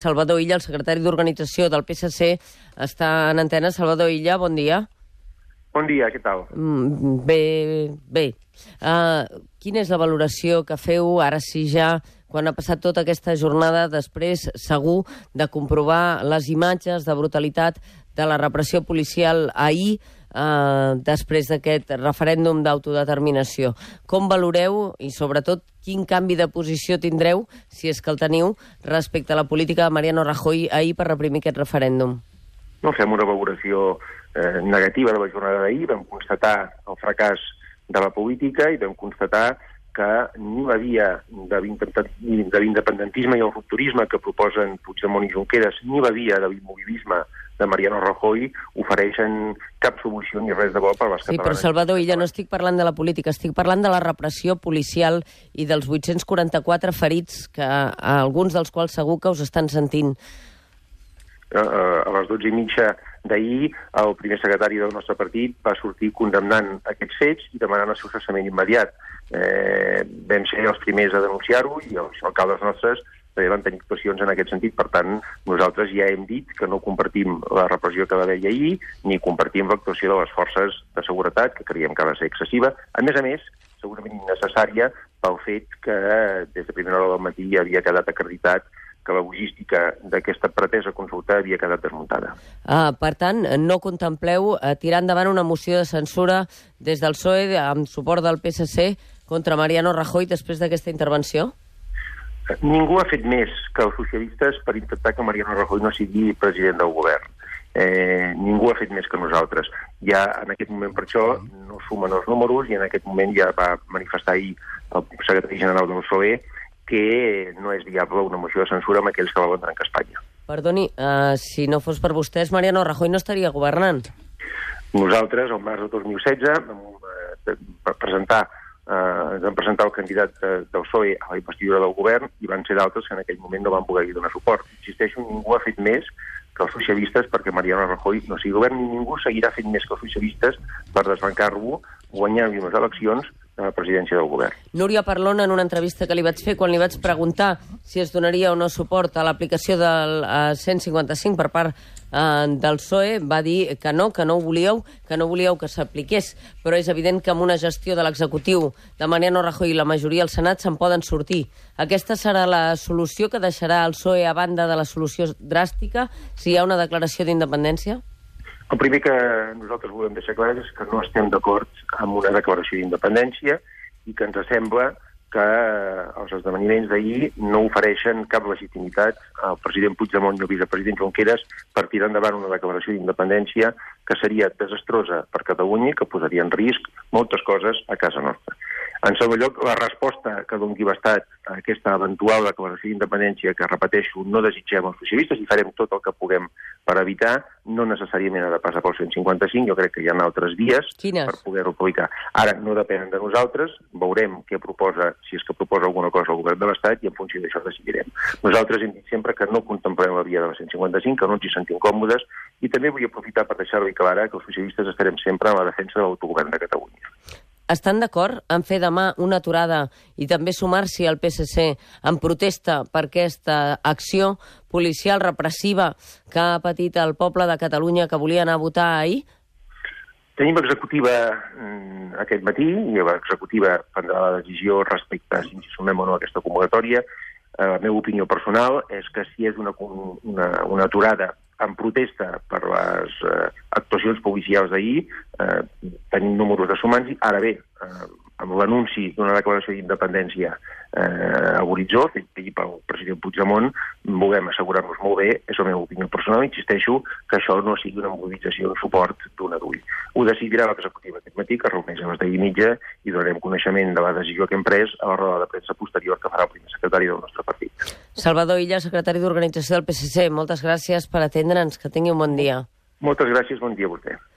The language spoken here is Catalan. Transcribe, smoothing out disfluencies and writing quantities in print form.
Salvador Illa, el secretari d'Organització del PSC, està en antena. Salvador Illa, bon dia. Bon dia, què tal? Bé. Quina és la valoració que feu, ara sí ja, quan ha passat tota aquesta jornada, després, segur, de comprovar les imatges de brutalitat de la repressió policial ahir, després d'aquest referèndum d'autodeterminació? Com valoreu i, sobretot, quin canvi de posició tindreu, si és que el teniu, respecte a la política de Mariano Rajoy ahir per reprimir aquest referèndum? No fem una valoració negativa de la jornada d'ahir. Vam constatar el fracàs de la política i vam constatar que ni la via de l'independentisme i el rupturisme que proposen Puigdemont i Junqueras, ni la via de l'immobilisme de Mariano Rajoy ofereixen cap solució ni res de bo per les catalanes. Sí, però Salvador Illa, no estic parlant de la política, estic parlant de la repressió policial i dels 844 ferits, que alguns dels quals segur que us estan sentint. A les 12:30 d'ahir, el primer secretari del nostre partit va sortir condemnant aquests fets i demanant el seu cessament immediat. Vam ser els primers a denunciar-ho i els alcaldes nostres també van tenir actuacions en aquest sentit. Per tant, nosaltres ja hem dit que no compartim la repressió que va haver ahir ni compartim l'actuació de les forces de seguretat, que creiem que ha de ser excessiva. A més, segurament innecessària pel fet que des de primera hora del matí havia quedat acreditat que la logística d'aquesta pretesa consulta havia quedat desmuntada. Per tant, no contempleu tirar endavant una moció de censura des del PSOE amb suport del PSC contra Mariano Rajoy després d'aquesta intervenció? Ningú ha fet més que els socialistes per intentar que Mariano Rajoy no sigui president del govern. Ningú ha fet més que nosaltres. Ja en aquest moment, per això, no sumen els números i en aquest moment ja va manifestar ahir el secretari general del PSOE que no és viable una moció de censura amb aquells que volen trencar Espanya. Perdoni, si no fos per vostès, Mariano Rajoy no estaria governant. Nosaltres, al març de 2016, ens vam presentar el candidat del PSOE a la investidura del govern i van ser d'altres que en aquell moment no van poder donar suport. Insisteixo, ningú ha fet més que els socialistes perquè Mariano Rajoy no sigui govern, ni ningú seguirà fent més que els socialistes per desbancar-lo, guanyant-li unes eleccions de la presidència del govern. Núria Parlon, en una entrevista que li vaig fer, quan li vaig preguntar si es donaria o no suport a l'aplicació del 155 per part del PSOE, va dir que no ho volíeu, que s'apliqués. Però és evident que amb una gestió de l'executiu de Mariano Rajoy i la majoria al Senat se'n poden sortir. Aquesta serà la solució que deixarà el PSOE a banda de la solució dràstica si hi ha una declaració d'independència? El primer que nosaltres volem deixar clar és que no estem d'acord amb una declaració d'independència i que ens sembla que els esdeveniments d'ahir no ofereixen cap legitimitat al president Puigdemont i al vicepresident Junqueras per tirar endavant una declaració d'independència que seria desastrosa per Catalunya i que posaria en risc moltes coses a casa nostra. En segon lloc, la resposta que doni l'Estat a aquesta eventual declaració d'independència que, repeteixo, no desitgem els socialistes i farem tot el que puguem per evitar, no necessàriament ha de passar pel 155, jo crec que hi ha altres vies per poder-ho aplicar. Ara, no depenen de nosaltres, veurem què proposa, si és que proposa alguna cosa el govern de l'Estat i en funció d'això decidirem. Nosaltres hem dit sempre que no contemplem la via de la 155, que no ens hi sentim còmodes i també vull aprofitar per deixar-li clara que els socialistes estarem sempre en la defensa de l'autogovern de Catalunya. Estan d'acord en fer demà una aturada i també sumar-s'hi al PSC en protesta per aquesta acció policial repressiva que ha patit el poble de Catalunya que volia anar a votar ahir? Tenim executiva aquest matí i l'executiva prendrà la decisió respecte a si ens sumem o no a aquesta convocatòria. La meva opinió personal és que si és una aturada en protesta per les actuacions policials d'ahir, tenim números de sumants. Ara bé, amb l'anunci d'una declaració d'independència a l'horitzó, fet ahir pel president Puigdemont, volem assegurar-nos molt bé, és la meva opinió personal, insisteixo, que això no sigui una mobilització en suport d'un adult. Ho decidirà l'executiva aquest matí, que es reuneix a les 10:30 i donarem coneixement de la decisió que hem pres a la roda de premsa posterior que farà el primer secretari del nostre partit. Salvador Illa, secretari d'Organització del PSC, moltes gràcies per atendre'ns, que tingui un bon dia. Moltes gràcies, bon dia a vostè.